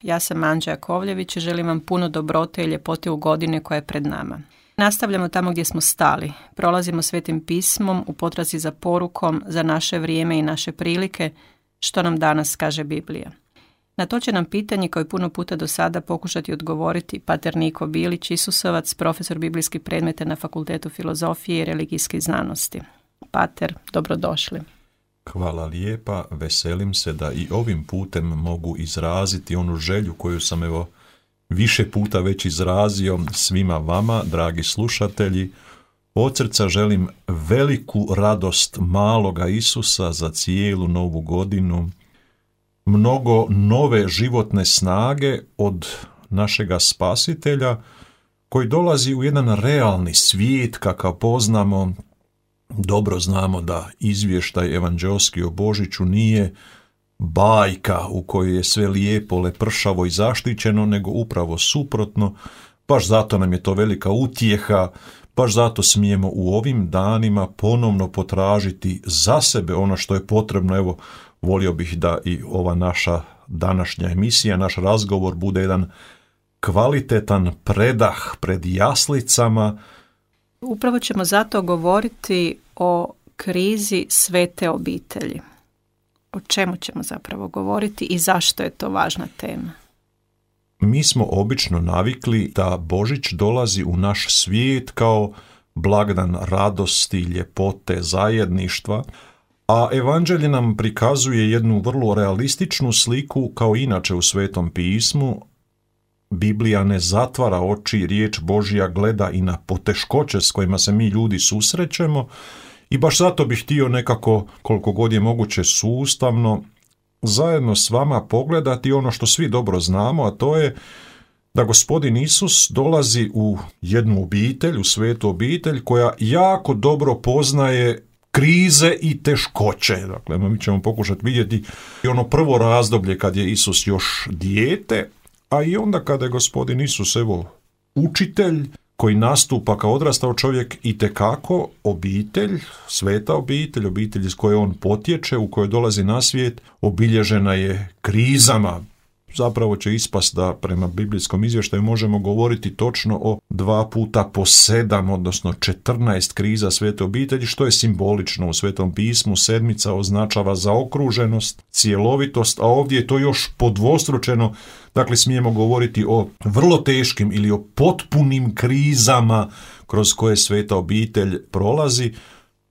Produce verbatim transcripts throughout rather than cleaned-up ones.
Ja sam Anđa Jakovljević i želim vam puno dobrote i ljepote u godine koja je pred nama. Nastavljamo tamo gdje smo stali. Prolazimo Svetim pismom u potrazi za porukom, za naše vrijeme i naše prilike, što nam danas kaže Biblija. Na to će nam pitanje kao i puno puta do sada pokušati odgovoriti pater Niko Bilić, Isusovac, profesor biblijskih predmeta na Fakultetu filozofije i religijskih znanosti. Pater, dobrodošli. Hvala lijepa, veselim se da i ovim putem mogu izraziti onu želju koju sam evo više puta već izrazio svima vama, dragi slušatelji. Od srca želim veliku radost maloga Isusa za cijelu novu godinu, mnogo nove životne snage od našega Spasitelja koji dolazi u jedan realni svijet kakav poznamo. Dobro znamo da izvještaj evanđeoski o Božiću nije bajka u kojoj je sve lijepo, lepršavo i zaštićeno, nego upravo suprotno. Baš zato nam je to velika utjeha, baš zato smijemo u ovim danima ponovno potražiti za sebe ono što je potrebno. Evo, volio bih da i ova naša današnja emisija, naš razgovor bude jedan kvalitetan predah pred jaslicama. Upravo ćemo zato govoriti o krizi svete obitelji. O čemu ćemo zapravo govoriti i zašto je to važna tema? Mi smo obično navikli da Božić dolazi u naš svijet kao blagdan radosti, ljepote, zajedništva, a evanđelje nam prikazuje jednu vrlo realističnu sliku kao inače u Svetom pismu. Biblija ne zatvara oči, riječ Božja gleda i na poteškoće s kojima se mi ljudi susrećemo i baš zato bih htio nekako, koliko god je moguće sustavno, zajedno s vama pogledati ono što svi dobro znamo, a to je da Gospodin Isus dolazi u jednu obitelj, u svetu obitelj koja jako dobro poznaje krize i teškoće. Dakle, mi ćemo pokušati vidjeti i ono prvo razdoblje kad je Isus još dijete, a i onda kada je Gospodin Isus, evo, učitelj koji nastupa kao odrastao čovjek, itekako obitelj, sveta obitelj, obitelj iz koje on potječe, u kojoj dolazi na svijet, obilježena je krizama. Zapravo će ispast da prema biblijskom izvještaju možemo govoriti točno o dva puta po sedam, odnosno četrnaest kriza svete obitelji, što je simbolično u Svetom pismu. Sedmica označava zaokruženost, cjelovitost, a ovdje je to još podvostručeno. Dakle, smijemo govoriti o vrlo teškim ili o potpunim krizama kroz koje sveta obitelj prolazi,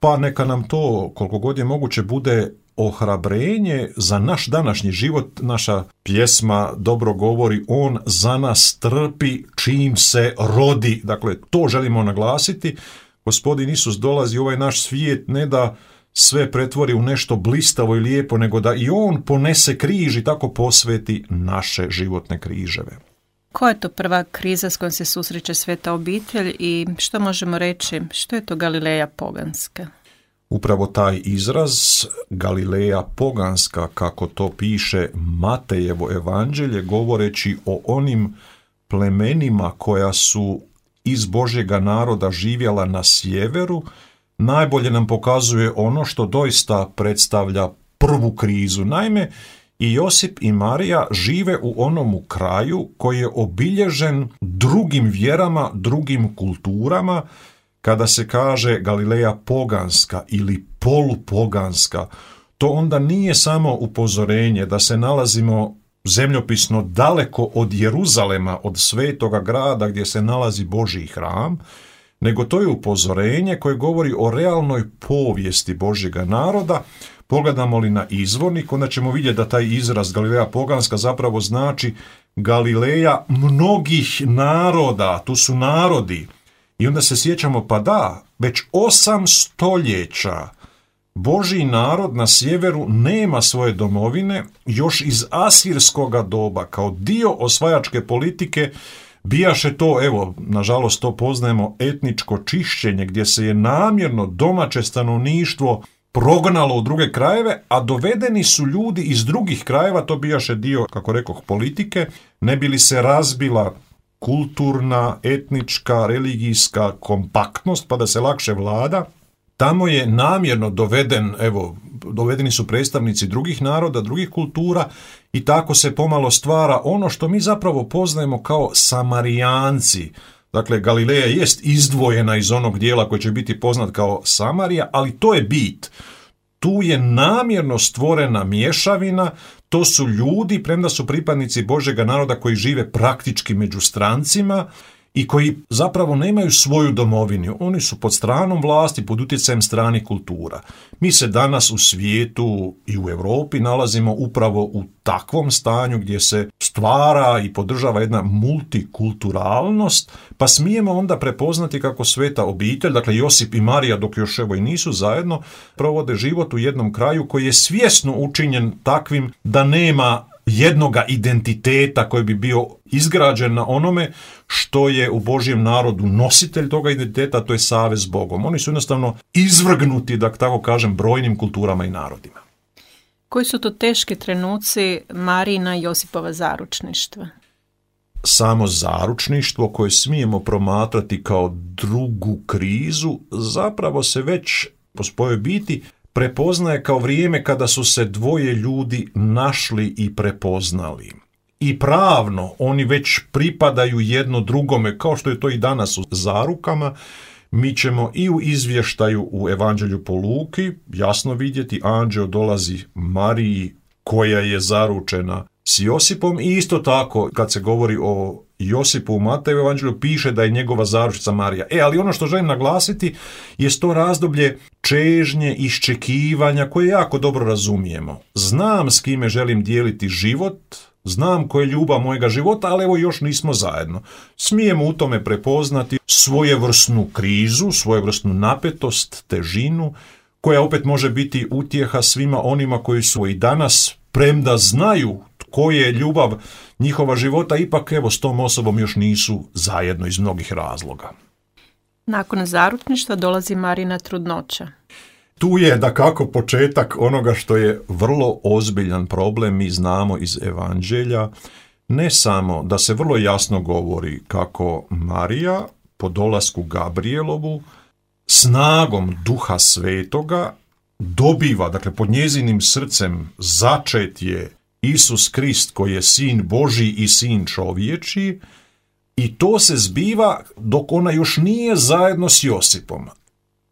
pa neka nam to, koliko god je moguće, bude ohrabrenje za naš današnji život. Naša pjesma dobro govori, on za nas trpi čim se rodi. Dakle, to želimo naglasiti. Gospodin Isus dolazi u ovaj naš svijet ne da sve pretvori u nešto blistavo i lijepo, nego da i on ponese križ i tako posveti naše životne križeve. Koja je to prva kriza s kojom se susreće sveta obitelj i što možemo reći, što je to Galileja poganska? Upravo taj izraz Galileja poganska, kako to piše Matejevo evanđelje, govoreći o onim plemenima koja su iz Božjega naroda živjela na sjeveru, najbolje nam pokazuje ono što doista predstavlja prvu krizu. Naime, i Josip i Marija žive u onomu kraju koji je obilježen drugim vjerama, drugim kulturama. Kada se kaže Galileja poganska ili polupoganska, to onda nije samo upozorenje da se nalazimo zemljopisno daleko od Jeruzalema, od svetoga grada gdje se nalazi Božji hram, nego to je upozorenje koje govori o realnoj povijesti Božjega naroda. Pogledamo li na izvornik, onda ćemo vidjeti da taj izraz Galileja poganska zapravo znači Galileja mnogih naroda, tu su narodi. I onda se sjećamo, pa da, već osam stoljeća Božji narod na sjeveru nema svoje domovine, još iz asirskoga doba, kao dio osvajačke politike, bijaše to, evo, nažalost to poznajemo, etničko čišćenje, gdje se je namjerno domaće stanovništvo prognalo u druge krajeve, a dovedeni su ljudi iz drugih krajeva, to bijaše dio, kako rekoh, politike, ne bi li se razbila kulturna, etnička, religijska kompaktnost, pa da se lakše vlada. Tamo je namjerno doveden, evo, dovedeni su predstavnici drugih naroda, drugih kultura i tako se pomalo stvara ono što mi zapravo poznajemo kao Samarijanci. Dakle, Galileja jest izdvojena iz onog dijela koji će biti poznat kao Samarija, ali to je bit. Tu je namjerno stvorena mješavina, to su ljudi, premda su pripadnici Božjega naroda koji žive praktički među strancima i koji zapravo nemaju svoju domovinu. Oni su pod stranom vlasti, pod utjecajem stranih kultura. Mi se danas u svijetu i u Europi nalazimo upravo u takvom stanju gdje se stvara i podržava jedna multikulturalnost, pa smijemo onda prepoznati kako sveta obitelj, dakle Josip i Marija, dok još evo i nisu zajedno, provode život u jednom kraju koji je svjesno učinjen takvim da nema jednoga identiteta koji bi bio izgrađen na onome što je u Božjem narodu nositelj toga identiteta, to je savez s Bogom. Oni su jednostavno izvrgnuti, da tako kažem, brojnim kulturama i narodima. Koji su to teški trenuci Marijina i Josipova zaručništva? Samo zaručništvo koje smijemo promatrati kao drugu krizu zapravo se već po svojoj biti prepoznaje kao vrijeme kada su se dvoje ljudi našli i prepoznali. I pravno oni već pripadaju jedno drugome, kao što je to i danas u zarukama. Mi ćemo i u izvještaju u Evanđelju po Luki jasno vidjeti, anđeo dolazi Mariji koja je zaručena s Josipom, i isto tako kad se govori o Josipu u Mateju Evanđelju piše da je njegova zaručnica Marija. E, ali ono što želim naglasiti je to razdoblje čežnje, iščekivanja koje jako dobro razumijemo. Znam s kime želim dijeliti život, znam koja je ljubav mojega života, ali evo još nismo zajedno. Smijemo u tome prepoznati svojevrsnu krizu, svojevrsnu napetost, težinu, koja opet može biti utjeha svima onima koji su i danas, premda znaju tko je ljubav njihova života, ipak evo s tom osobom još nisu zajedno iz mnogih razloga. Nakon zaručništva dolazi Marijina trudnoća. Tu je dakako početak onoga što je vrlo ozbiljan problem, mi znamo iz Evanđelja, ne samo da se vrlo jasno govori kako Marija po dolasku Gabrijelovu snagom Duha Svetoga dobiva, dakle pod njezinim srcem začet je Isus Krist koji je sin Božji i sin čovječji, i to se zbiva dok ona još nije zajedno s Josipom.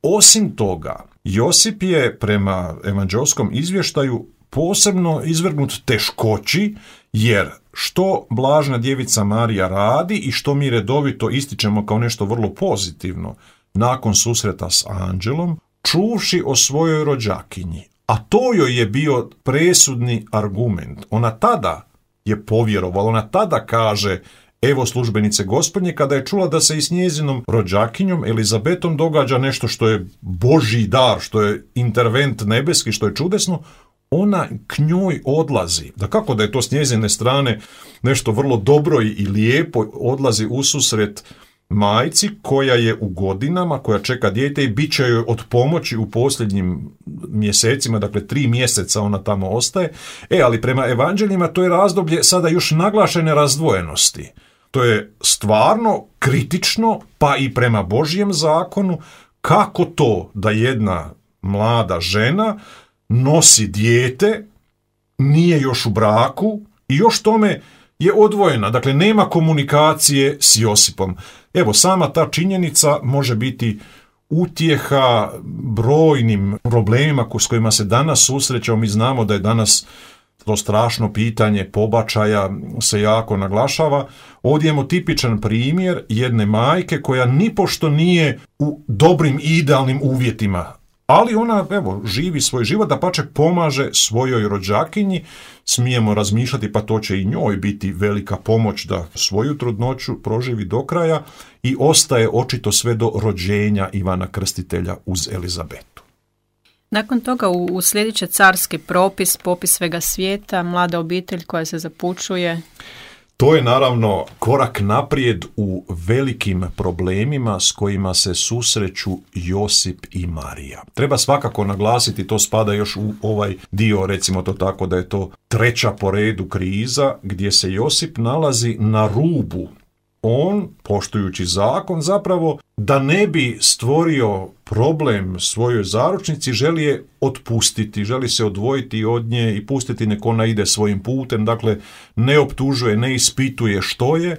Osim toga, Josip je prema evanđelskom izvještaju posebno izvrgnut teškoći, jer što blažna djevica Marija radi i što mi redovito ističemo kao nešto vrlo pozitivno nakon susreta s anđelom, čuvši o svojoj rođakinji. A to joj je bio presudni argument. Ona tada je povjerovala, ona tada kaže: evo službenice Gospodnje, kada je čula da se i s njezinom rođakinjom Elizabetom događa nešto što je Božji dar, što je intervent nebeski, što je čudesno, ona k njoj odlazi. Da kako da je to s njezine strane nešto vrlo dobro i lijepo, odlazi ususret majci koja je u godinama, koja čeka dijete i bit će joj od pomoći u posljednjim mjesecima, dakle tri mjeseca ona tamo ostaje. E, ali prema evanđeljima to je razdoblje sada još naglašene razdvojenosti. To je stvarno kritično, pa i prema Božjem zakonu, kako to da jedna mlada žena nosi dijete, nije još u braku i još tome je odvojena, dakle nema komunikacije s Josipom. Evo, sama ta činjenica može biti utjeha brojnim problemima s kojima se danas susrećemo. Mi znamo da je danas to strašno pitanje pobačaja se jako naglašava. Ovdje imamo tipičan primjer jedne majke koja nipošto nije u dobrim i idealnim uvjetima, ali ona, evo, živi svoj život, da pače pomaže svojoj rođakinji. Smijemo razmišljati, pa to će i njoj biti velika pomoć da svoju trudnoću proživi do kraja, i ostaje očito sve do rođenja Ivana Krstitelja uz Elizabetu. Nakon toga u sljedeće carski propis, popis svega svijeta, mlada obitelj koja se zapučuje. To je naravno korak naprijed u velikim problemima s kojima se susreću Josip i Marija. Treba svakako naglasiti, to spada još u ovaj dio, recimo to tako, da je to treća po redu kriza gdje se Josip nalazi na rubu on, poštujući zakon, zapravo da ne bi stvorio problem svojoj zaručnici, želi je otpustiti, želi se odvojiti od nje i pustiti nek ona ide svojim putem, dakle ne optužuje, ne ispituje što je.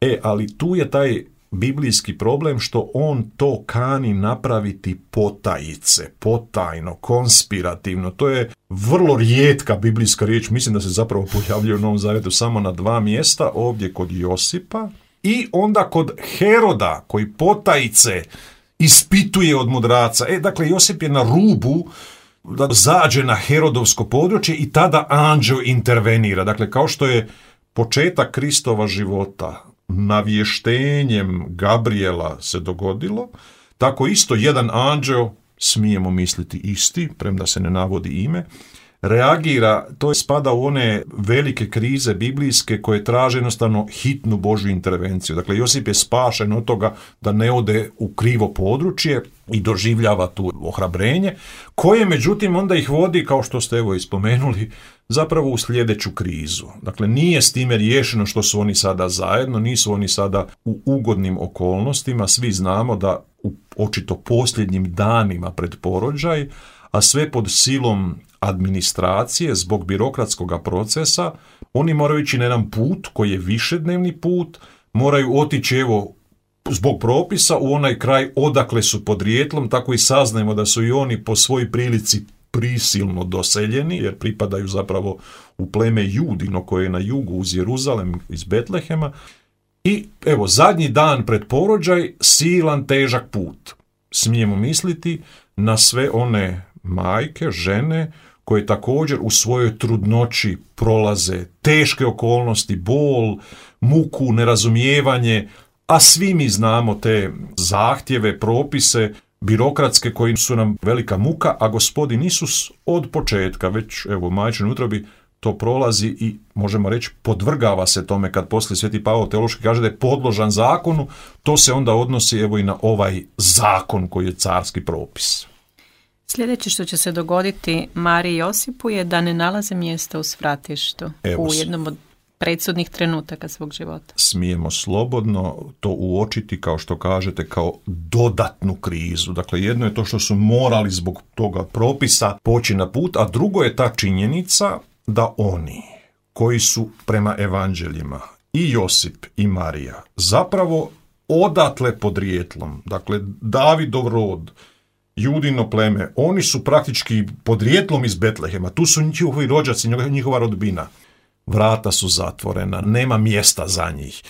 E, ali tu je taj biblijski problem što on to kani napraviti potajice, potajno, konspirativno. To je vrlo rijetka biblijska riječ, mislim da se zapravo pojavljuje u Novom Zavjetu samo na dva mjesta, ovdje kod Josipa i onda kod Heroda koji potajice ispituje od mudraca. E, dakle, Josip je na rubu da zađe na Herodovsko područje i tada anđeo intervenira. Dakle, kao što je početak Kristova života navještenjem Gabriela se dogodilo, tako isto jedan anđeo, smijemo misliti isti, premda se ne navodi ime, reagira, to spada u one velike krize biblijske koje traže jednostavno hitnu Božju intervenciju. Dakle, Josip je spašen od toga da ne ode u krivo područje i doživljava tu ohrabrenje, koje međutim onda ih vodi, kao što ste evo ispomenuli, zapravo u sljedeću krizu. Dakle, nije s time riješeno što su oni sada zajedno, nisu oni sada u ugodnim okolnostima, svi znamo da u očito posljednjim danima pred porođaj, a sve pod silom administracije, zbog birokratskog procesa, oni moraju ići na jedan put koji je višednevni put, moraju otići evo zbog propisa u onaj kraj odakle su podrijetlom, tako i saznajemo da su i oni po svojoj prilici prisilno doseljeni, jer pripadaju zapravo u pleme Judino koje je na jugu uz Jeruzalem iz Betlehema. I evo, zadnji dan pred porođaj, silan, težak put. Smijemo misliti na sve one majke, žene, koje također u svojoj trudnoći prolaze teške okolnosti, bol, muku, nerazumijevanje, a svi mi znamo te zahtjeve, propise, birokratske koji su nam velika muka, a Gospodin Isus od početka, već evo u majčinoj utrobi, to prolazi i možemo reći podvrgava se tome kad poslije Sveti Pavao teološki kaže da je podložan zakonu, to se onda odnosi evo i na ovaj zakon koji je carski propis. Sljedeće što će se dogoditi Mariji i Josipu je da ne nalaze mjesta u svratištu evo, u jednom od predsudnih trenutaka svog života. Smijemo slobodno to uočiti, kao što kažete, kao dodatnu krizu. Dakle, jedno je to što su morali zbog toga propisa poći na put, a drugo je ta činjenica da oni koji su prema evanđeljima i Josip i Marija zapravo odatle podrijetlom, dakle Davidov rod, Judino pleme, oni su praktički podrijetlom iz Betlehema, tu su njihovi rođaci, njihova rodbina. Vrata su zatvorena, nema mjesta za njih.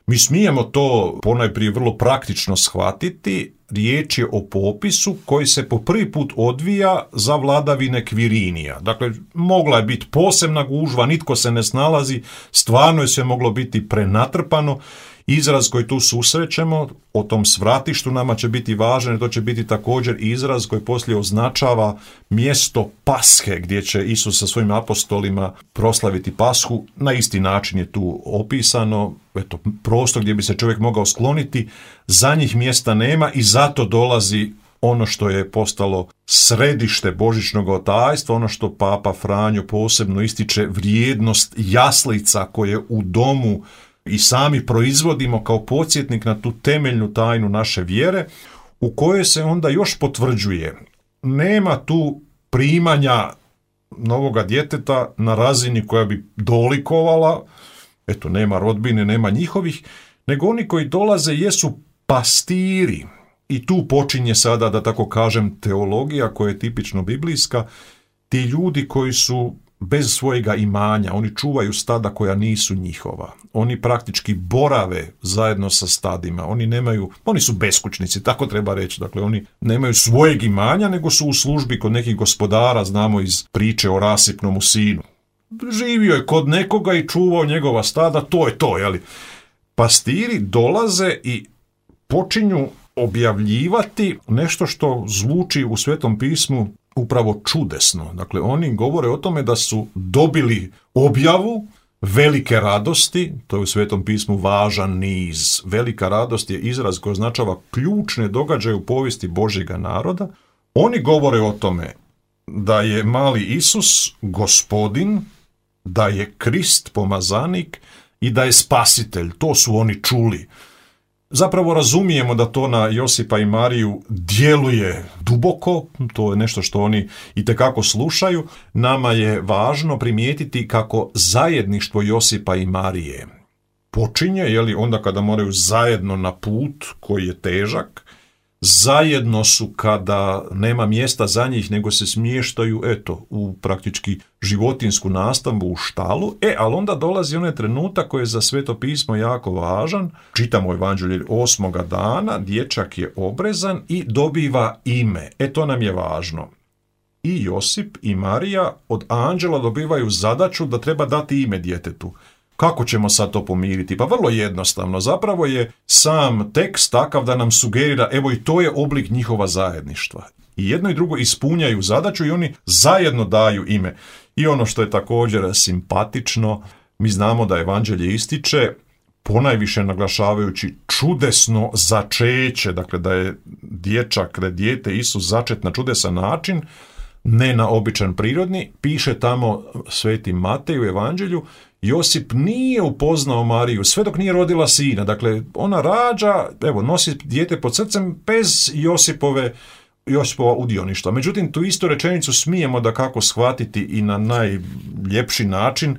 Mi smijemo to ponajprije vrlo praktično shvatiti, riječ je o popisu koji se po prvi put odvija za vladavine Kvirinija. Dakle, mogla je biti posebna gužva, nitko se ne snalazi, stvarno je sve moglo biti prenatrpano. Izraz koji tu susrećemo o tom svratištu nama će biti važan, to će biti također izraz koji poslije označava mjesto Pashe gdje će Isus sa svojim apostolima proslaviti Pashu. Na isti način je tu opisano, eto, prostor gdje bi se čovjek mogao skloniti, za njih mjesta nema i zato dolazi ono što je postalo središte božićnog otajstva, ono što Papa Franjo posebno ističe, vrijednost jaslica koje u domu i sami proizvodimo kao podsjetnik na tu temeljnu tajnu naše vjere, u kojoj se onda još potvrđuje nema tu primanja novoga djeteta na razini koja bi dolikovala, eto nema rodbine, nema njihovih, nego oni koji dolaze jesu pastiri. I tu počinje sada, da tako kažem, teologija koja je tipično biblijska, ti ljudi koji su bez svojega imanja, oni čuvaju stada koja nisu njihova. Oni praktički borave zajedno sa stadima. Oni nemaju, oni su beskućnici, tako treba reći. Dakle, oni nemaju svojeg imanja, nego su u službi kod nekih gospodara, znamo iz priče o rasipnom sinu. Živio je kod nekoga i čuvao njegova stada, to je to, jeli? Pastiri dolaze i počinju objavljivati nešto što zvuči u Svetom pismu upravo čudesno. Dakle, oni govore o tome da su dobili objavu velike radosti, to je u Svetom pismu važan niz. Velika radost je izraz koji označava ključne događaje u povijesti Božjega naroda. Oni govore o tome da je mali Isus Gospodin, da je Krist pomazanik i da je spasitelj. To su oni čuli. Zapravo razumijemo da to na Josipa i Mariju djeluje duboko, to je nešto što oni itekako slušaju. Nama je važno primijetiti kako zajedništvo Josipa i Marije počinje, je li, onda kada moraju zajedno na put koji je težak, zajedno su kada nema mjesta za njih, nego se smještaju, eto, u praktički životinsku nastambu u štalu. E, ali onda dolazi onaj trenutak koji je za Sveto pismo jako važan. Čitamo Evanđelje osmoga dana, dječak je obrezan i dobiva ime. E, to nam je važno. I Josip i Marija od anđela dobivaju zadaću da treba dati ime djetetu. Kako ćemo sad to pomiriti? Pa vrlo jednostavno. Zapravo je sam tekst takav da nam sugerira, evo i to je oblik njihova zajedništva. I jedno i drugo ispunjaju zadaću i oni zajedno daju ime. I ono što je također simpatično, mi znamo da Evanđelje ističe, ponajviše naglašavajući čudesno začeće, dakle da je dječak, da je dijete Isus začet na čudesan način, ne na običan prirodni. Piše tamo Sveti Matej u Evanđelju, Josip nije upoznao Mariju sve dok nije rodila sina. Dakle, ona rađa, evo, nosi dijete pod srcem bez Josipove, Josipova udioništva. Međutim, tu istu rečenicu smijemo da kako shvatiti i na najljepši način.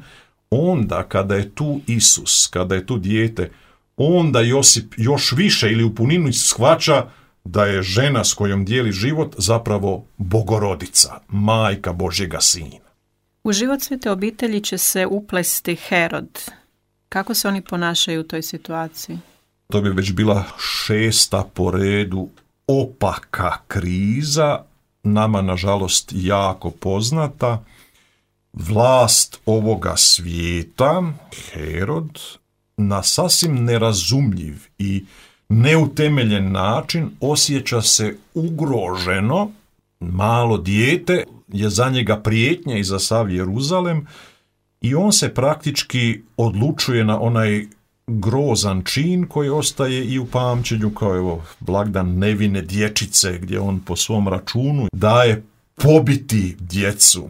Onda kada je tu Isus, kada je tu dijete, onda Josip još više ili u puninu shvaća da je žena s kojom dijeli život zapravo Bogorodica, majka Božjega Sina. U život Svete obitelji će se uplesti Herod. Kako se oni ponašaju u toj situaciji? To bi već bila šesta po redu opaka kriza, nama nažalost jako poznata. Vlast ovoga svijeta, Herod, na sasvim nerazumljiv i neutemeljen način osjeća se ugroženo. Malo dijete je za njega prijetnja i za sav Jeruzalem i on se praktički odlučuje na onaj grozan čin koji ostaje i u pamćenju kao evo blagdan nevine dječice gdje on po svom računu daje pobiti djecu.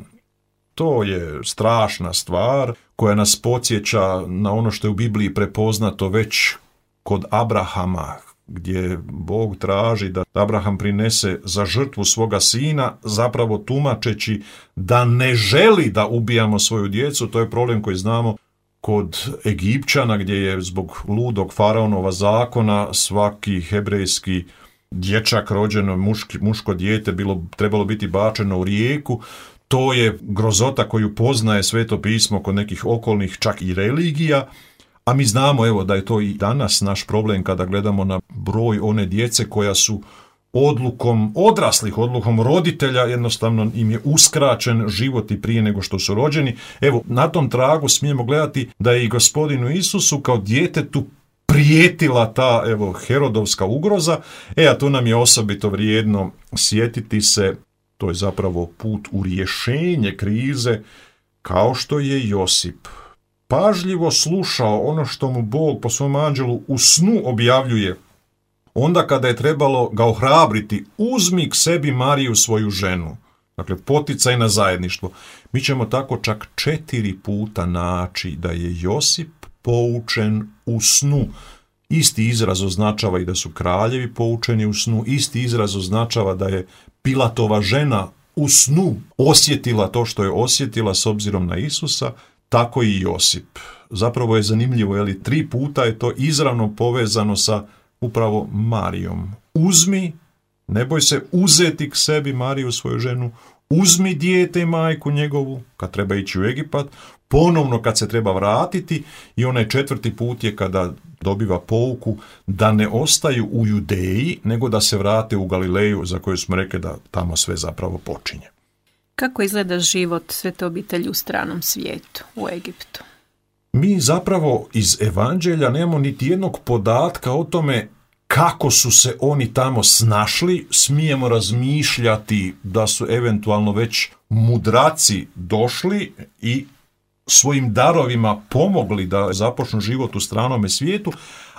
To je strašna stvar koja nas podsjeća na ono što je u Bibliji prepoznato već kod Abrahama, gdje Bog traži da Abraham prinese za žrtvu svoga sina, zapravo tumačeći da ne želi da ubijamo svoju djecu. To je problem koji znamo kod Egipćana, gdje je zbog ludog faraonova zakona svaki hebrejski dječak rođeno, muški, muško dijete bilo, trebalo biti bačeno u rijeku. To je grozota koju poznaje Sveto pismo kod nekih okolnih čak i religija. A mi znamo, evo, da je to i danas naš problem kada gledamo na broj one djece koja su odlukom odraslih, odlukom roditelja, jednostavno im je uskraćen život i prije nego što su rođeni. Evo, na tom tragu smijemo gledati da je i Gospodinu Isusu kao djetetu prijetila ta, evo, Herodovska ugroza. E, a tu nam je osobito vrijedno sjetiti se, to je zapravo put u rješenje krize, kao što je Josip pažljivo slušao ono što mu Bog po svom anđelu u snu objavljuje. Onda kada je trebalo ga ohrabriti, uzmi k sebi Mariju svoju ženu. Dakle, poticaj na zajedništvo. Mi ćemo tako čak četiri puta naći da je Josip poučen u snu. Isti izraz označava i da su kraljevi poučeni u snu. Isti izraz označava da je Pilatova žena u snu osjetila to što je osjetila s obzirom na Isusa. Tako i Josip. Zapravo je zanimljivo, je li tri puta je to izravno povezano sa upravo Marijom. Uzmi, ne boj se uzeti k sebi Mariju svoju ženu, uzmi dijete i majku njegovu, kad treba ići u Egipat, ponovno kad se treba vratiti i onaj četvrti put je kada dobiva pouku da ne ostaju u Judeji, nego da se vrate u Galileju, za koju smo rekli da tamo sve zapravo počinje. Kako izgleda život Svete obitelji u stranom svijetu, u Egiptu? Mi zapravo iz Evanđelja nemamo niti jednog podatka o tome kako su se oni tamo snašli. Smijemo razmišljati da su eventualno već mudraci došli i svojim darovima pomogli da započnu život u stranome svijetu,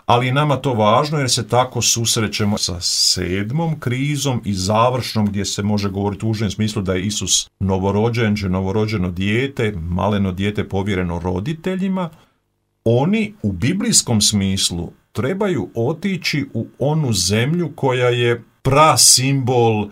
ali nama to važno jer se tako susrećemo sa sedmom krizom i završnom gdje se može govoriti u užem smislu da je Isus novorođenče, novorođeno dijete, maleno dijete povjereno roditeljima. oni u biblijskom smislu trebaju otići u onu zemlju koja je prasimbol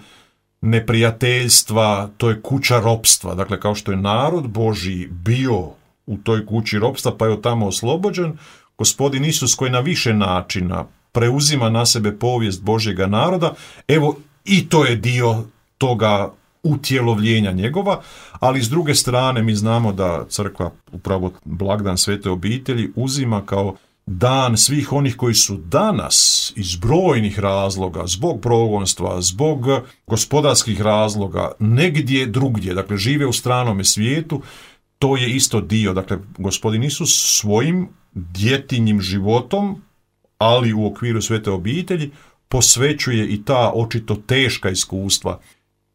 neprijateljstva, to je kuća ropstva. Dakle, kao što je narod Božji bio u toj kući ropstva pa je od tamo oslobođen, Gospodin Isus koji na više načina preuzima na sebe povijest Božjega naroda, evo i to je dio toga utjelovljenja njegova, ali s druge strane mi znamo da crkva upravo blagdan Svete obitelji uzima kao dan svih onih koji su danas iz brojnih razloga, zbog progonstva, zbog gospodarskih razloga, negdje drugdje, dakle žive u stranome svijetu, to je isto dio. Dakle, Gospodin Isus svojim djetinjim životom, ali u okviru Svete obitelji, posvećuje i ta očito teška iskustva.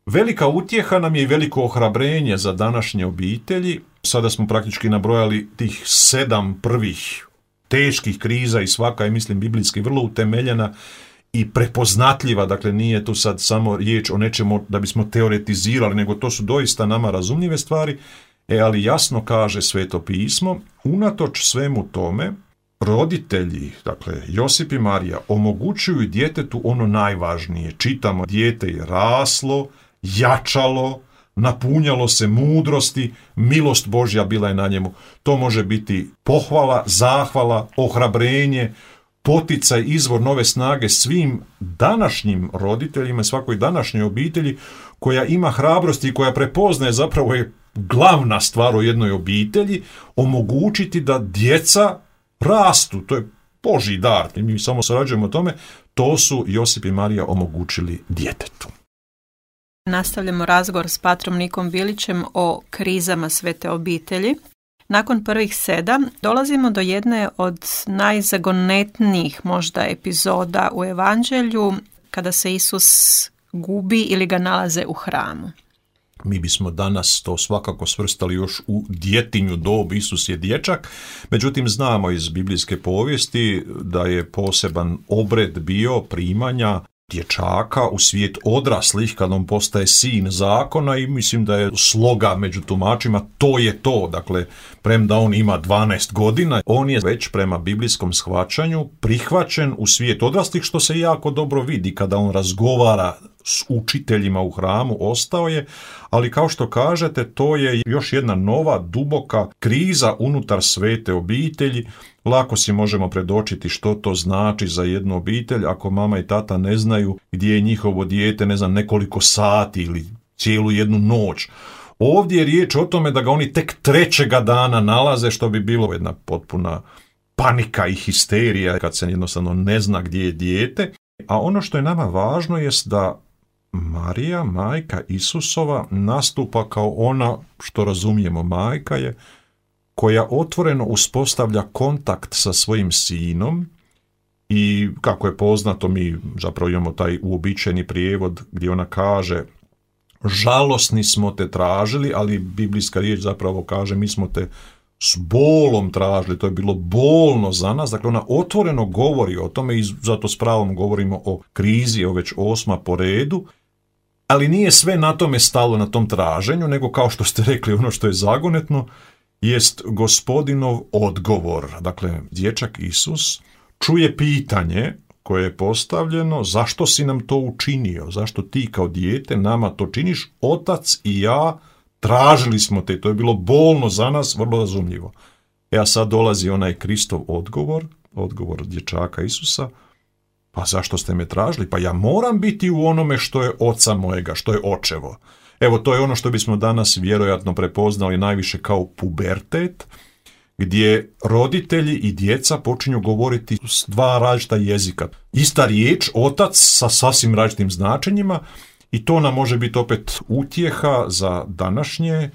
Velika utjeha nam je i veliko ohrabrenje za današnje obitelji. Sada smo praktički nabrojali tih sedam prvih teških kriza i svaka je, mislim, biblijski vrlo utemeljena i prepoznatljiva. Dakle, nije tu sad samo riječ o nečemu da bismo teoretizirali, nego to su doista nama razumljive stvari. E, ali jasno kaže Sveto pismo, unatoč svemu tome, roditelji, dakle Josip i Marija, omogućuju djetetu ono najvažnije. Čitamo, dijete je raslo, jačalo, napunjalo se mudrosti, milost Božja bila je na njemu. To može biti pohvala, zahvala, ohrabrenje, poticaj, izvor nove snage svim današnjim roditeljima, svakoj današnjoj obitelji koja ima hrabrosti i koja prepoznaje, zapravo je glavna stvar u jednoj obitelji, omogućiti da djeca rastu. To je Božji dar, mi samo surađujemo o tome. To su Josip i Marija omogućili djetetu. Nastavljamo razgovor s patrom Nikom Bilićem o krizama Svete obitelji. Nakon prvih sedam dolazimo do jedne od najzagonetnijih možda epizoda u Evanđelju, kada se Isus gubi ili ga nalaze u hramu. Mi bismo danas to svakako svrstali još u djetinju dob, Isus je dječak, međutim znamo iz biblijske povijesti da je poseban obred bio primanja dječaka u svijet odraslih kad on postaje sin zakona i mislim da je sloga među tumačima to je to. Dakle, premda on ima dvanaest godina, on je već prema biblijskom shvaćanju prihvaćen u svijet odraslih, što se jako dobro vidi kada on razgovara s učiteljima u hramu, ostao je, ali kao što kažete, to je još jedna nova duboka kriza unutar svete obitelji. Lako si možemo predočiti što to znači za jednu obitelj ako mama i tata ne znaju gdje je njihovo dijete, ne znam, nekoliko sati ili cijelu jednu noć. Ovdje je riječ o tome da ga oni tek trećega dana nalaze, što bi bilo jedna potpuna panika i histerija kad se jednostavno ne zna gdje je dijete. A ono što je nama važno jest da Marija, majka Isusova, nastupa kao ona, što razumijemo, majka je, koja otvoreno uspostavlja kontakt sa svojim sinom i, kako je poznato, mi zapravo imamo taj uobičajeni prijevod gdje ona kaže žalosni smo te tražili, ali biblijska riječ zapravo kaže mi smo te s bolom tražili, to je bilo bolno za nas. Dakle, ona otvoreno govori o tome i zato s pravom govorimo o krizi, o već osma po redu, ali nije sve na tome stalo, na tom traženju, nego kao što ste rekli, ono što je zagonetno jest Gospodinov odgovor. Dakle, dječak Isus čuje pitanje koje je postavljeno, zašto si nam to učinio, zašto ti kao dijete nama to činiš, otac i ja tražili smo te, to je bilo bolno za nas, vrlo razumljivo. E a sad dolazi onaj Kristov odgovor, odgovor dječaka Isusa, pa zašto ste me tražili? Pa ja moram biti u onome što je oca mojega, što je očevo. Evo, to je ono što bismo danas vjerojatno prepoznali najviše kao pubertet, gdje roditelji i djeca počinju govoriti s dva različita jezika. Ista riječ, otac, sa sasvim različitim značenjima, i to nam može biti opet utjeha za današnje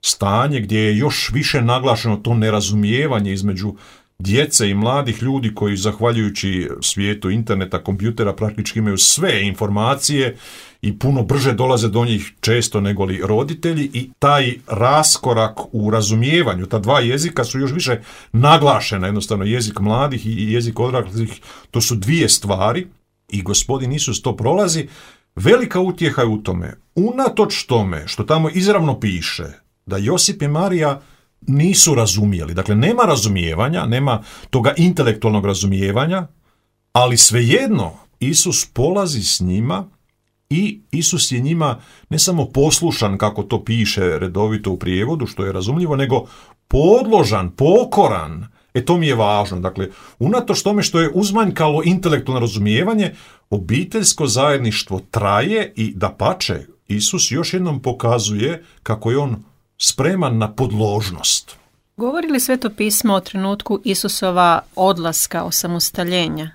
stanje gdje je još više naglašeno to nerazumijevanje između djece i mladih ljudi koji, zahvaljujući svijetu interneta, kompjutera, praktički imaju sve informacije i puno brže dolaze do njih često nego li roditelji, i taj raskorak u razumijevanju, ta dva jezika su još više naglašena, jednostavno jezik mladih i jezik odraslih, to su dvije stvari i Gospodin Isus to prolazi. Velika utjeha je u tome, unatoč tome što tamo izravno piše da Josip i Marija nisu razumijeli. Dakle, nema razumijevanja, nema toga intelektualnog razumijevanja, ali svejedno Isus polazi s njima i Isus je njima ne samo poslušan, kako to piše redovito u prijevodu, što je razumljivo, nego podložan, pokoran. E to mi je važno. Dakle, unatoč tome što je uzmanjkalo intelektualno razumijevanje, obiteljsko zajedništvo traje i dapače, Isus još jednom pokazuje kako je on spreman na podložnost. Govori li Sveto pismo o trenutku Isusova odlaska, osamostaljenja?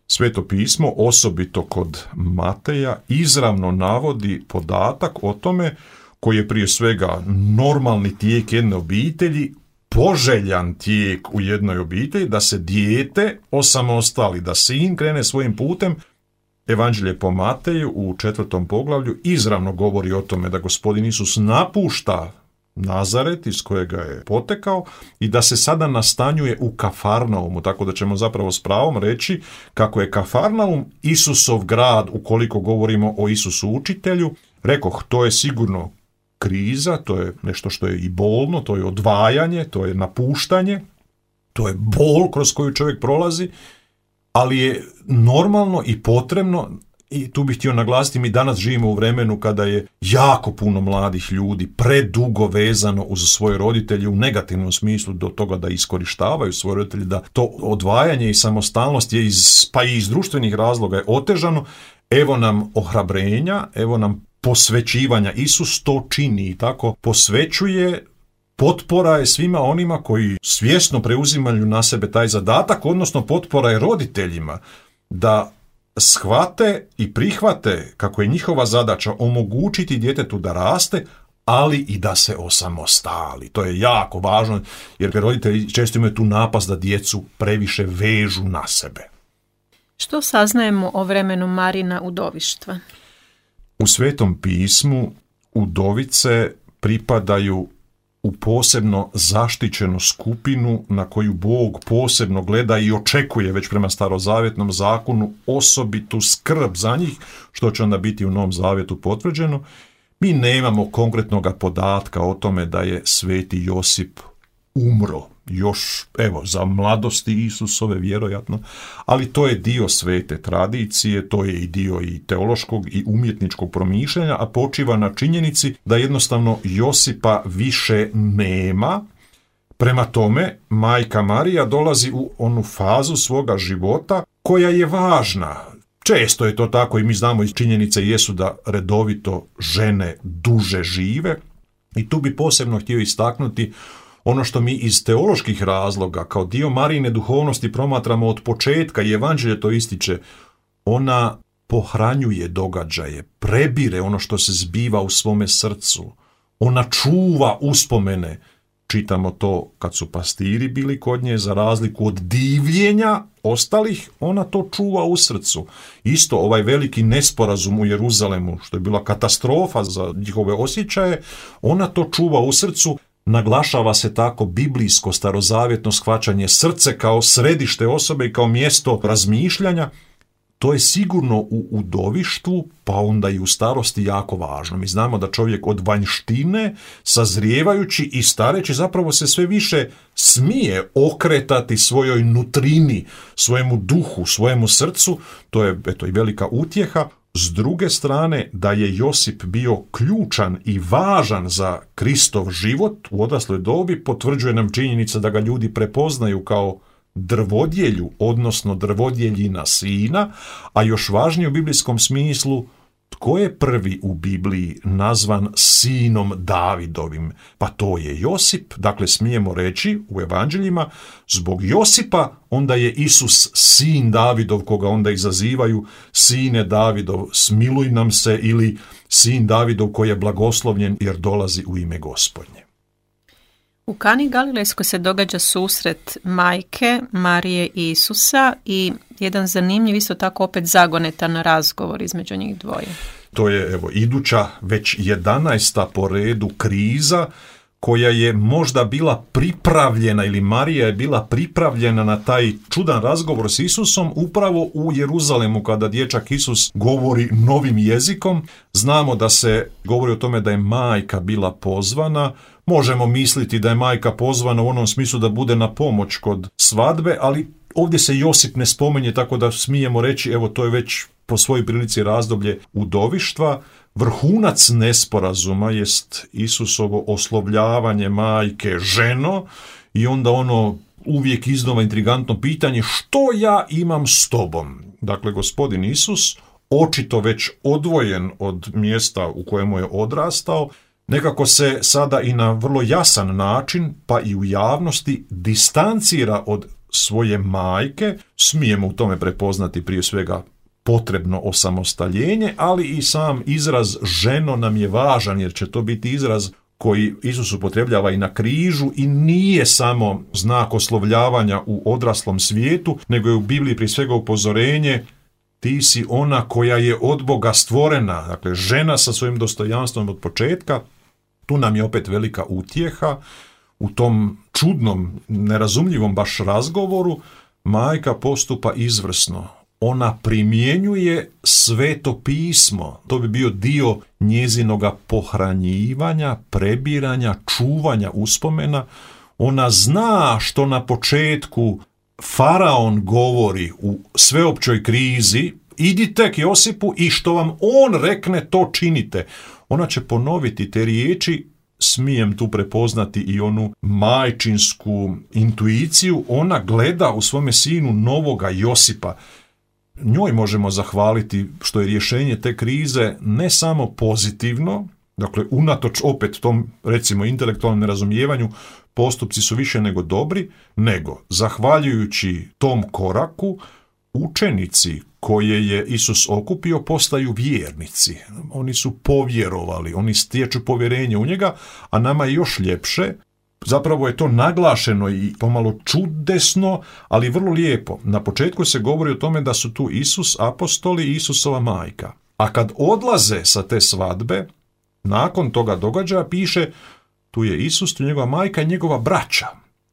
Sveto pismo, osobito kod Mateja, izravno navodi podatak o tome koji je prije svega normalni tijek jedne obitelji, poželjan tijek u jednoj obitelji, da se dijete osamostali, da sin krene svojim putem. Evanđelje po Mateju u četvrtom poglavlju izravno govori o tome da Gospodin Isus napušta Nazaret iz kojega je potekao i da se sada nastanjuje u Kafarnaumu, tako da ćemo zapravo s pravom reći kako je Kafarnaum Isusov grad ukoliko govorimo o Isusu učitelju. Rekoh, to je sigurno kriza, to je nešto što je i bolno, to je odvajanje, to je napuštanje, to je bol kroz koju čovjek prolazi, ali je normalno i potrebno. I tu bih htio naglasiti, mi danas živimo u vremenu kada je jako puno mladih ljudi predugo vezano uz svoje roditelje u negativnom smislu do toga da iskorištavaju svoje roditelje, da to odvajanje i samostalnost je iz, pa i iz društvenih razloga je otežano. Evo nam ohrabrenja, evo nam posvećivanja. Isus to čini i tako posvećuje. Potpora je svima onima koji svjesno preuzimaju na sebe taj zadatak, odnosno potpora je roditeljima da shvate i prihvate kako je njihova zadaća omogućiti djetetu da raste, ali i da se osamostali. To je jako važno, jer roditelji često imaju tu napast da djecu previše vežu na sebe. Što saznajemo o vremenu Marina udovištva? U Svetom pismu udovice pripadaju u posebno zaštićenu skupinu na koju Bog posebno gleda i očekuje već prema starozavjetnom zakonu osobitu skrb za njih, što će onda biti u Novom zavjetu potvrđeno. Mi nemamo konkretnog podatka o tome da je sveti Josip umro još, evo, za mladosti Isusove vjerojatno, ali to je dio svete tradicije, to je i dio i teološkog i umjetničkog promišljanja, a počiva na činjenici da jednostavno Josipa više nema. Prema tome, majka Marija dolazi u onu fazu svoga života koja je važna. Često je to tako i mi znamo iz činjenice jesu da redovito žene duže žive i tu bi posebno htio istaknuti ono što mi iz teoloških razloga kao dio Marijine duhovnosti promatramo od početka i Evanđelje to ističe. Ona pohranjuje događaje, prebire ono što se zbiva u svome srcu. Ona čuva uspomene. Čitamo to kad su pastiri bili kod nje, za razliku od divljenja ostalih, ona to čuva u srcu. Isto ovaj veliki nesporazum u Jeruzalemu, što je bila katastrofa za njihove osjećaje, ona to čuva u srcu. Naglašava se tako biblijsko starozavjetno shvaćanje srce kao središte osobe i kao mjesto razmišljanja. To je sigurno u udovištvu, pa onda i u starosti jako važno. Mi znamo da čovjek od vanjštine, sazrijevajući i stareći, zapravo se sve više smije okretati svojoj nutrini, svojemu duhu, svojemu srcu. To je eto i velika utjeha. S druge strane, da je Josip bio ključan i važan za Kristov život u odrasloj dobi, potvrđuje nam činjenica da ga ljudi prepoznaju kao drvodjelju, odnosno drvodjeljina sina, a još važnije u biblijskom smislu, tko je prvi u Bibliji nazvan sinom Davidovim? Pa to je Josip. Dakle, smijemo reći u evanđeljima, zbog Josipa onda je Isus sin Davidov, koga onda izazivaju sine Davidov, smiluj nam se, ili sin Davidov koji je blagoslovljen jer dolazi u ime Gospodnje. U Kani Galilejskoj se događa susret majke Marije i Isusa i jedan zanimljiv, isto tako opet zagonetan razgovor između njih dvoje. To je evo iduća već jedanaesta po redu kriza koja je možda bila pripravljena, ili Marija je bila pripravljena na taj čudan razgovor s Isusom upravo u Jeruzalemu kada dječak Isus govori novim jezikom. Znamo da se govori o tome da je majka bila pozvana, Možemo misliti da je majka pozvana u onom smislu da bude na pomoć kod svadbe, ali ovdje se Josip ne spominje, tako da smijemo reći, evo to je već po svojoj prilici razdoblje udovištva. Vrhunac nesporazuma jest Isusovo oslovljavanje majke ženo i onda ono uvijek iznova intrigantno pitanje što ja imam s tobom. Dakle, gospodin Isus, očito već odvojen od mjesta u kojemu je odrastao, nekako se sada i na vrlo jasan način, pa i u javnosti, distancira od svoje majke. Smijemo u tome prepoznati prije svega potrebno osamostaljenje, ali i sam izraz ženo nam je važan, jer će to biti izraz koji Isus upotrebljava i na križu i nije samo znak oslovljavanja u odraslom svijetu, nego je u Bibliji prije svega upozorenje: ti si ona koja je od Boga stvorena, dakle žena sa svojim dostojanstvom od početka. Tu nam je opet velika utjeha u tom čudnom, nerazumljivom baš razgovoru. Majka postupa izvrsno. Ona primjenjuje Sveto pismo. To bi bio dio njezinoga pohranjivanja, prebiranja, čuvanja uspomena. Ona zna što na početku faraon govori u sveopćoj krizi: idite k Josipu i što vam on rekne, to činite. Ona će ponoviti te riječi. Smijem tu prepoznati i onu majčinsku intuiciju. Ona gleda u svome sinu novoga Josipa. Njoj možemo zahvaliti što je rješenje te krize ne samo pozitivno, dakle unatoč opet tom recimo intelektualnom nerazumijevanju postupci su više nego dobri, nego zahvaljujući tom koraku učenici koje je Isus okupio postaju vjernici. Oni su povjerovali, oni stječu povjerenje u njega, a nama je još ljepše. Zapravo je to naglašeno i pomalo čudesno, ali vrlo lijepo. Na početku se govori o tome da su tu Isus, apostoli i Isusova majka. A kad odlaze sa te svadbe, nakon toga događaja piše: tu je Isus, tu je njegova majka i njegova braća.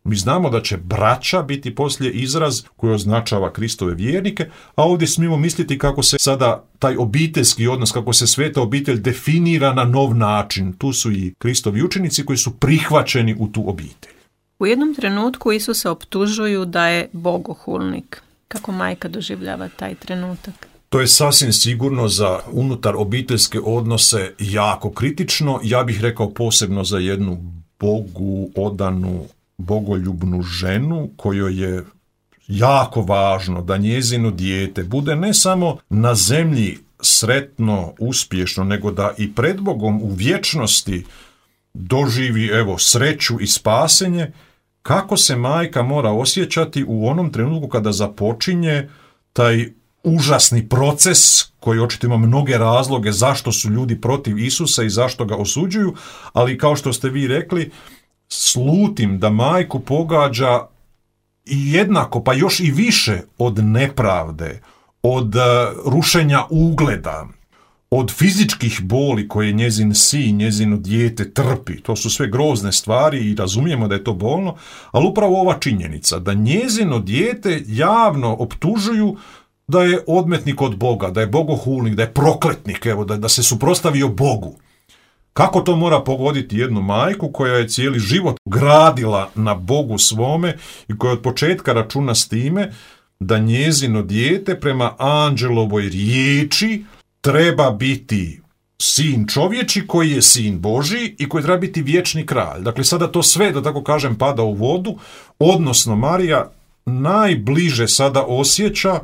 Mi znamo da će braća biti poslije izraz koji označava Kristove vjernike, a ovdje smijemo misliti kako se sada taj obiteljski odnos, kako se sveta obitelj definira na nov način. Tu su i Kristovi učenici koji su prihvaćeni u tu obitelj. U jednom trenutku Isusa optužuju da je bogohulnik. Kako majka doživljava taj trenutak? To je sasvim sigurno za unutar obiteljske odnose jako kritično. Ja bih rekao posebno za jednu Bogu odanu, bogoljubnu ženu kojoj je jako važno da njezino dijete bude ne samo na zemlji sretno, uspješno, nego da i pred Bogom u vječnosti doživi evo sreću i spasenje. Kako se majka mora osjećati u onom trenutku kada započinje taj užasni proces koji očito ima mnoge razloge zašto su ljudi protiv Isusa i zašto ga osuđuju, ali kao što ste vi rekli, slutim da majku pogađa i jednako, pa još i više od nepravde, od uh, rušenja ugleda, od fizičkih boli koje njezin sin, njezino dijete trpi. To su sve grozne stvari i razumijemo da je to bolno, ali upravo ova činjenica da njezino dijete javno optužuju da je odmetnik od Boga, da je bogohulnik, da je prokletnik, evo, da, da se suprotstavio Bogu. Kako to mora pogoditi jednu majku koja je cijeli život gradila na Bogu svome i koja od početka računa s time da njezino dijete prema anđelovoj riječi treba biti sin čovječi koji je sin Božji i koji treba biti vječni kralj. Dakle, sada to sve, da tako kažem, pada u vodu, odnosno Marija najbliže sada osjeća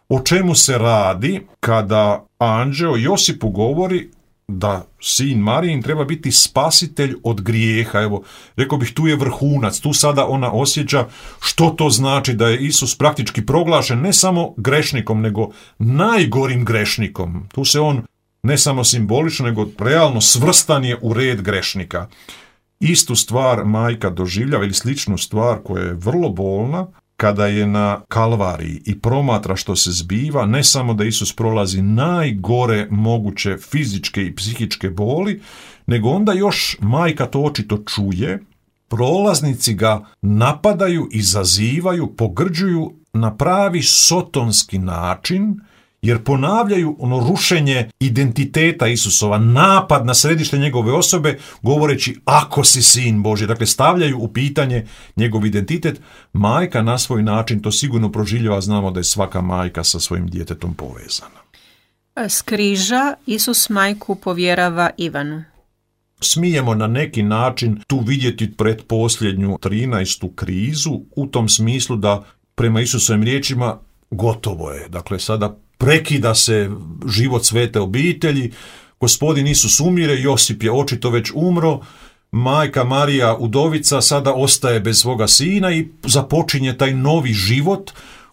o čemu se radi kada anđeo Josipu govori da sin Marijin treba biti spasitelj od grijeha. Evo, rekao bih, tu je vrhunac, tu sada ona osjeća što to znači da je Isus praktički proglašen ne samo grešnikom, nego najgorim grešnikom. Tu se on ne samo simbolično, nego realno svrstan je u red grešnika. Istu stvar majka doživljava ili sličnu stvar koja je vrlo bolna, kada je na Kalvariji i promatra što se zbiva, ne samo da Isus prolazi najgore moguće fizičke i psihičke boli, nego onda još majka to očito čuje, prolaznici ga napadaju, izazivaju, pogrđuju na pravi sotonski način jer ponavljaju ono rušenje identiteta Isusova, napad na središte njegove osobe, govoreći ako si sin Božji. Dakle, stavljaju u pitanje njegov identitet. Majka na svoj način to sigurno proživljava, znamo da je svaka majka sa svojim djetetom povezana. S križa Isus majku povjerava Ivanu. Smijemo na neki način tu vidjeti pretposljednju trinaestu krizu, u tom smislu da prema Isusovim riječima gotovo je. Dakle, sada prekida se život svete obitelji, gospodin Isus umire, Josip je očito već umro, majka Marija udovica sada ostaje bez svoga sina i započinje taj novi život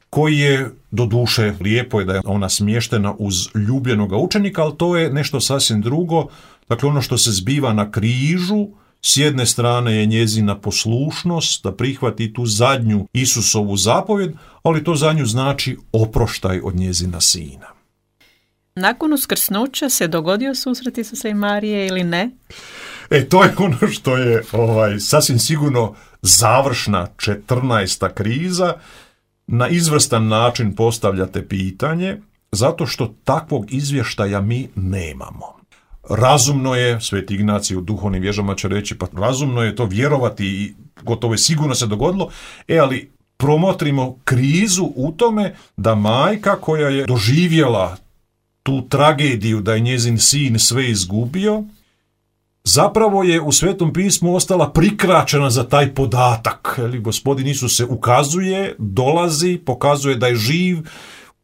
koji je, doduše, lijepo je da je ona smještena uz ljubljenoga učenika, ali to je nešto sasvim drugo. Dakle, ono što se zbiva na križu, s jedne strane je njezina poslušnost da prihvati tu zadnju Isusovu zapovjed, ali to za nju znači oproštaj od njezina sina. Nakon uskrsnuća se dogodio susret Isusa i Marije ili ne? E, to je ono što je ovaj, sasvim sigurno završna četrnaesta kriza. Na izvrstan način postavljate pitanje, zato što takvog izvještaja mi nemamo. Razumno je, Sveti Ignacij u duhovnim vježbama će reći, pa razumno je to vjerovati i gotovo je sigurno se dogodilo, e ali promotrimo krizu u tome da majka koja je doživjela tu tragediju da je njezin sin sve izgubio, zapravo je u Svetom pismu ostala prikraćena za taj podatak. Gospodin Isus se ukazuje, dolazi, pokazuje da je živ,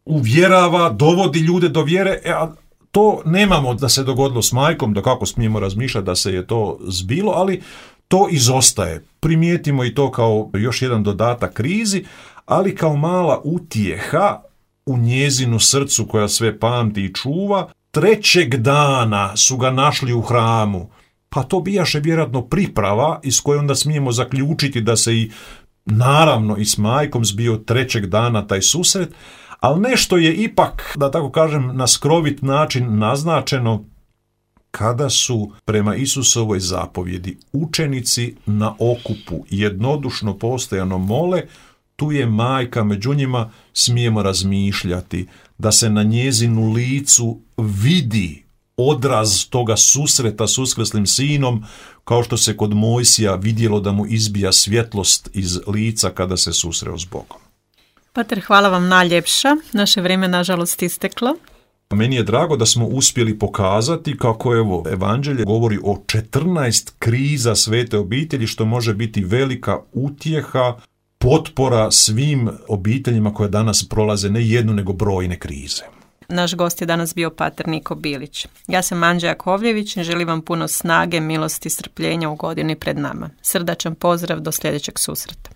uvjerava, dovodi ljude do vjere, e, a to nemamo da se dogodilo s majkom, da kako smijemo razmišljati da se je to zbilo, ali to izostaje. Primijetimo i to kao još jedan dodatak krizi, ali kao mala utjeha u njezinu srcu koja sve pamti i čuva. Trećeg dana su ga našli u hramu, pa to bijaše vjerojatno priprava iz koje onda smijemo zaključiti da se i naravno i s majkom zbio trećeg dana taj susret, ali nešto je ipak, da tako kažem, na skrovit način naznačeno kada su prema Isusovoj zapovjedi učenici na okupu jednodušno postojano mole, tu je majka među njima, smijemo razmišljati da se na njezinu licu vidi odraz toga susreta s uskrslim sinom, kao što se kod Mojsija vidjelo da mu izbija svjetlost iz lica kada se susreo s Bogom. Pater, hvala vam najljepša. Naše vrijeme nažalost isteklo. Meni je drago da smo uspjeli pokazati kako evo evanđelje govori o četrnaest kriza svete obitelji, što može biti velika utjeha, potpora svim obiteljima koje danas prolaze ne jednu nego brojne krize. Naš gost je danas bio pater Niko Bilić. Ja sam Anđa Jakovljević i želim vam puno snage, milosti i strpljenja u godini pred nama. Srdačan pozdrav, do sljedećeg susreta.